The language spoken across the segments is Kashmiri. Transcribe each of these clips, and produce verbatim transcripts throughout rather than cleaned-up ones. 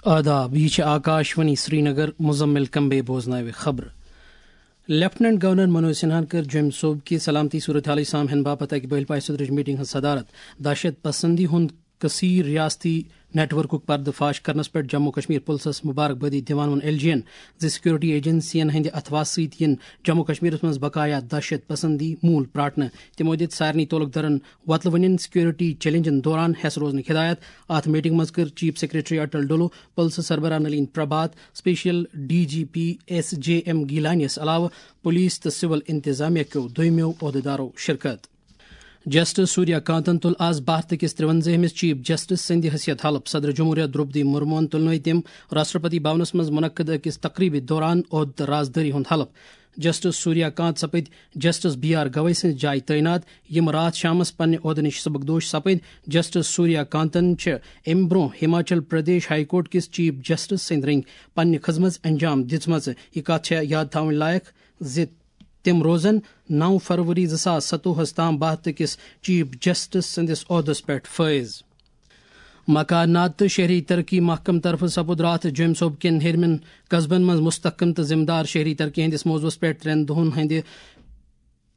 آداب، یہِ چھِ آکاشوانی سرینگر، مزمل کمبے بوزناوِ خبرٕ۔ لیفٹیننٹ گورنر منوج سنہاہن کٔر جوٚمہِ صوبہٕ کہِ سلامتی صورتحالٕچ سامعن باپتھ اکہِ بٔلۍ پاے سدرٕچ میٹنگ ہٕنٛز صدارت۔ دہشت پسندی ہُنٛد کثیر ریاستی نیٹ ورکُک پردٕ فاش کرنس پٮ۪ٹھ جموں کشمیر پُلسس مبارک بٲدی دِوان ووٚن ایل جی ین زِ سیکورٹی ایجنسین ہٕنٛدِ اتھواسہٕ سۭتۍ یِن جموں کشمیرس منٛز بقایا دہشت پسندی موٗل پراٹنہٕ۔ تِمو دِتۍ سارنٕے تعلق دارن وۄتلہٕ وٕنٮ۪ن سیکورٹی چیلنجن دوران ہٮ۪س روزنٕچ ہدایت۔ اتھ میٹنگ منٛز کٔر چیف سیکرٹری اٹل ڈولو، پُلسہٕ سربراہ Nalin Prabhat, special D G P S J M گیلانیس علاوٕ پولیس تہٕ سول انتظامیہ کیو دویمیو عہدیدارو شرکت۔ جسٹس سوریا کانتن تُل آز بھارت کِس ترٛوَنزٲہمِس چیف جسٹس سٕنٛدِ حیثیت حلف۔ صدر جمہوریہ درٛوپدی مرموہن تُلنٲوۍ تٔمۍ راشٹرپتی بھونس منٛز منعقد أکِس تقریبہِ دوران عہدٕ تہٕ رازدٲری ہُنٛد حلف۔ جسٹس سوریا کانت سپٕدۍ جسٹس بی آر گوئی سٕنٛزِ جایہِ تعینات، یِم راتھ شامس پننہِ عہدٕ نِش سبکدوش سپٕدۍ۔ جسٹس سوریا کانتن چھِ امہِ برونٛہہ ہماچل پردیش ہائی کورٹ کِس چیف جسٹس سٕنٛدۍ رٔنگۍ پننہِ خدمژ انجام دِژمٕژ۔ یہِ کتھ چھےٚ یاد تھاوٕنۍ لایق زِ تِم روزن نو فروری زٕ ساس ستووُہس تام بھارت کِس چیف جسٹس سٕنٛدِس عہدس پٮ۪ٹھ فٲیض۔ مکانات تہٕ شہری ترقی محکمہٕ طرفہٕ سپُد راتھ جوٚمہِ صوبہٕ کٮ۪ن ہیٚرمٮ۪ن قصبن منٛز مستحکم تہٕ ذمہٕ دار شہری ترقی ہٕنٛدِس موضوعس پٮ۪ٹھ ترٛٮ۪ن دۄہن ہٕنٛدِ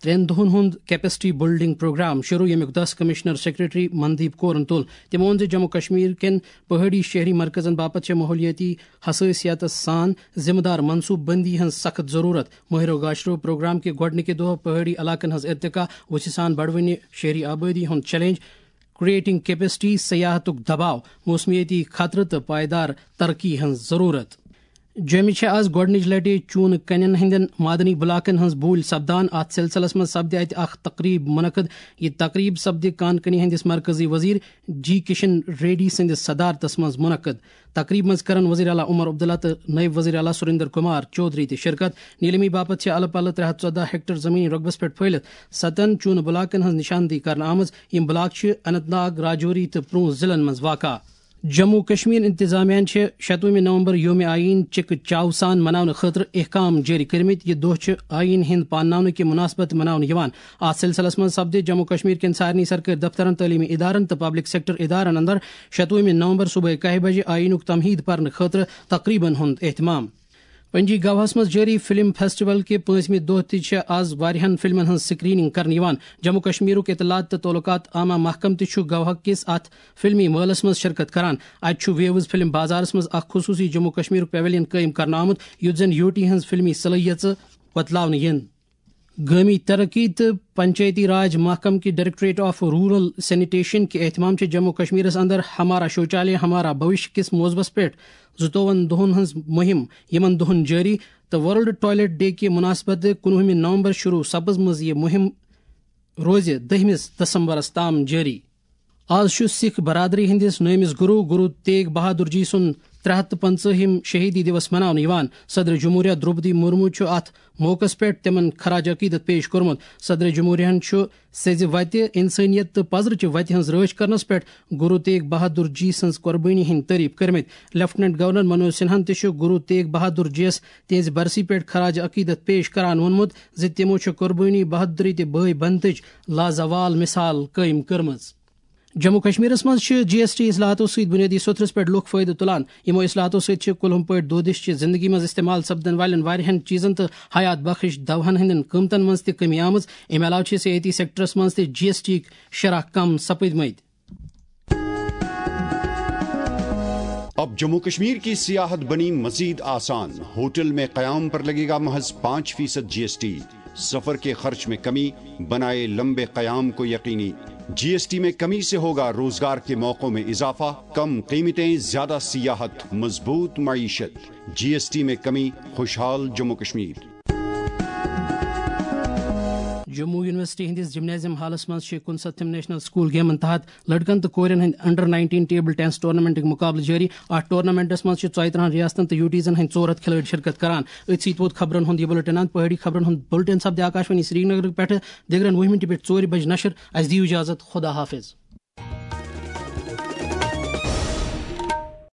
ترٛٮ۪ن دۄہن ہُنٛد کیپیسٹی بلڈنگ پروگرام شروع، ییٚمیُک دس کمشنر سیکرٹری مندیپ کورن تُل۔ تِمو ووٚن زِ جموں کشمیر کٮ۪ن پہٲڑی شہری مرکزن باپتھ چھےٚ ماحولیٲتی حساسیتس سان ذمہٕ دار منصوبہٕ بندی ہٕنٛز سخت ضروٗرت۔ مٲہرو گاشرو پروگرام کہِ گۄڈٕنِکہِ دۄہ پہٲڑی علاقن ہٕنٛز ارتقا، وُژھِ سان بڑوٕنہِ شہری آبٲدی ہُنٛد چیلنج، کریٹنگ کیپیسٹی، سیاحتُک دباو، موسمیٲتی خطرٕ تہٕ پائیدار ترقی ہٕنٛز ضروٗرت۔ جوٚمہِ چھےٚ آز گۄڈٕنِچ لٹہِ چوٗنہٕ کنٮ۪ن ہٕنٛدٮ۪ن معدنی بلاکن ہٕنٛز بوٗلۍ سپدان۔ اتھ سلسلس منٛز سپدِ اتہِ اکھ تقریب منعقد۔ یہِ تقریب سپدِ کان کنی ہٕنٛدِس مرکزی وزیر جی کشن ریڈی سٕنٛدِس صدارتس منٛز منعقد۔ تقریب منٛز کرن وزیر اعلیٰ عمر عبداللہ تہٕ نائب وزیر اعلیٰ سریندر کمار چودھری تہِ شرکت۔ نیلمی باپتھ چھِ الہٕ پلہٕ ترٛےٚ ہتھ ژۄدہ ہیکٹر زمینی رقبس پٮ۪ٹھ پھٔہلِتھ ستن چوٗنہٕ بلاکن ہٕنٛز نشاندہی کرنہٕ آمٕژ، یِم بلاک چھِ اننت ناگ، راجوری تہٕ پونچھ ضلعن منٛز واقع۔ جموں کشمیر انتظامیہ چھِ شتوُہمہِ نومبر یوم آئین چکہ چاو سان مناونہٕ خٲطرٕ احکام جٲری کٔرمٕتۍ۔ یہِ دۄہ چھُ آئین ہٕنٛدِ پانناونہٕ کہِ مناسبت مناونہٕ یِوان۔ اتھ سلسلس منٛز سپدِ جموں کشمیر کٮ۪ن سارنٕے سرکٲرۍ دفترن، تعلیمی ادارن تہٕ پبلک سیکٹر ادارن اندر شتوُہمہِ نومبر صبحٲے کاہہِ بجہِ آئینُک تمہیٖد پرنہٕ خٲطرٕ تقریبن ہُنٛد اہتمام۔ پنجی گواہس منٛز جٲری فلم فیسٹیول کہِ پٲنٛژمہِ دۄہ تہِ چھےٚ آز واریاہن فلمن ہٕنٛز سکریننگ کرنہٕ یِوان۔ جموں کشمیرُک اطلاعات تہٕ تعلقات عامہ محکمہٕ تہِ چھُ گواہ کِس اتھ فلمی مٲلس منٛز شرکت کران۔ اتہِ چھُ ویوز فلم بازارس منٛز اکھ خصوٗصی جموں کشمیرُک پیویلین قٲیِم کرنہٕ آمُت، یُتھ زن یوٹی ہٕنٛز فلمی صلٲحیژٕ وۄتلاونہٕ یِن۔ گٲمی ترقی تہٕ پنچایتی راج محکمہٕ کہِ ڈائریکٹوریٹ آف رورل سینیٹیشن کہِ اہتمام چھِ جموں کشمیرس اندر ہمارا شوچالیہ ہمارا بھوشیہ کِس موضوعس پٮ۪ٹھ زٕتووُہن دۄہن ہٕنٛز مُہِم، یِمن دۄہن جٲری، تہٕ ورلڈ ٹوائلٹ ڈے کہِ مناسبت کُنوُہمہِ نومبر شروع سپٕزمٕژ۔ یہِ مُہِم روزِ دٔہمِس دسمبرس تام جٲری۔ آز چھُ سکھ برادری ہٕنٛدِس نٲمِس گروٗ، گروٗ تیگ بہادر جی سُنٛد ترٛےٚ ہتھ تہٕ پنٛژٲہِم شہیدی دیوس مناونہٕ یِوان۔ صدر جمہوریہ درٛوپدی مرمو چھُ اتھ موقعس پٮ۪ٹھ تِمن خراج عقیدت پیش کوٚرمُت۔ صدر جمہوریہن چھُ سیٚزِ وتہِ، انسٲنیت تہٕ پزرٕچہِ وتہِ ہٕنٛز رٲچھ کرنس پٮ۪ٹھ گروٗ تیگ بہادر جی سٕنٛز قۄربٲنی ہٕنٛدۍ تعریف کٔرمٕتۍ۔ لیفٹیننٹ گورنر منوج سنہاہن تہِ چھُ گروٗ تیگ بہادر جی یَس تِہنٛزِ برسی پٮ۪ٹھ خراج عقیدت پیش کران ووٚنمُت زِ تِمو چھُ قۄربٲنی، بہادری تہٕ بٲے بنتٕچ لازوال مثال قٲیِم کٔرمٕژ۔ جموں کشمیرس منٛز چھِ جی ایس ٹی اصلاحاتو سۭتۍ بنیٲدی سوٚتھرس پٮ۪ٹھ لوٗکھ فٲیدٕ تُلان۔ یِمو اصلاحاتو سۭتۍ چھِ کُلہُم پٲٹھۍ دودِش چہِ زندگی منٛز استعمال سپدن والٮ۪ن واریاہن چیٖزن تہٕ حیات بخش دوہن ہٕنٛدٮ۪ن قۭمتن منٛز تہِ کمی آمٕژ۔ امہِ علاوٕ چھِ صحتی سیکٹرس منٛز تہِ جی ایس ٹی ہٕکۍ شرح کم سپٕدمٕتۍ۔ اب جموں کشمیر کی سیاحت بنی مزید آسان، ہوٹل میں قیام پر لگے گا محض پانچ فیصد جی ایس ٹی، سفر کے خرچ میں کمی، بنائے لمبے قیام کو یقینی، جی ایس ٹی میں کمی سے ہوگا روزگار کے موقعوں میں اضافہ، کم قیمتیں، زیادہ سیاحت، مضبوط معیشت، جی ایس ٹی میں کمی، خوشحال جموں کشمیر۔ جموں یونیورسٹی ہٕنٛدِس جمنازیم ہالس منٛز چھِ کُنسَتھِم نیشنل سکول گیمن تحت لڑکن تہٕ کورٮ۪ن ہٕنٛدۍ انڈر نائنٹین ٹیبل ٹینس ٹورنامنٹٕکۍ مقابلہٕ جٲری۔ اتھ ٹورنامنٹس منٛز چھِ ژۄیہِ ترٕہن ریاستن تہٕ یوٗٹیٖزن ہٕنٛدۍ ژور ہتھ کھلٲڑۍ شرکت کران۔ أتھۍ سۭتۍ ووت خبرن ہُنٛد یہِ بُلٹن اند۔ پہٲڑی خبرن ہُنٛد بُلٹن سپدِ آکاشوانی سرینگرٕ پٮ۪ٹھٕ دِگرن وُہہِ مِنٹہِ پٮ۪ٹھ ژورِ بجہِ نشر۔ اسہِ دِیِو اجازت، خدا حافظ۔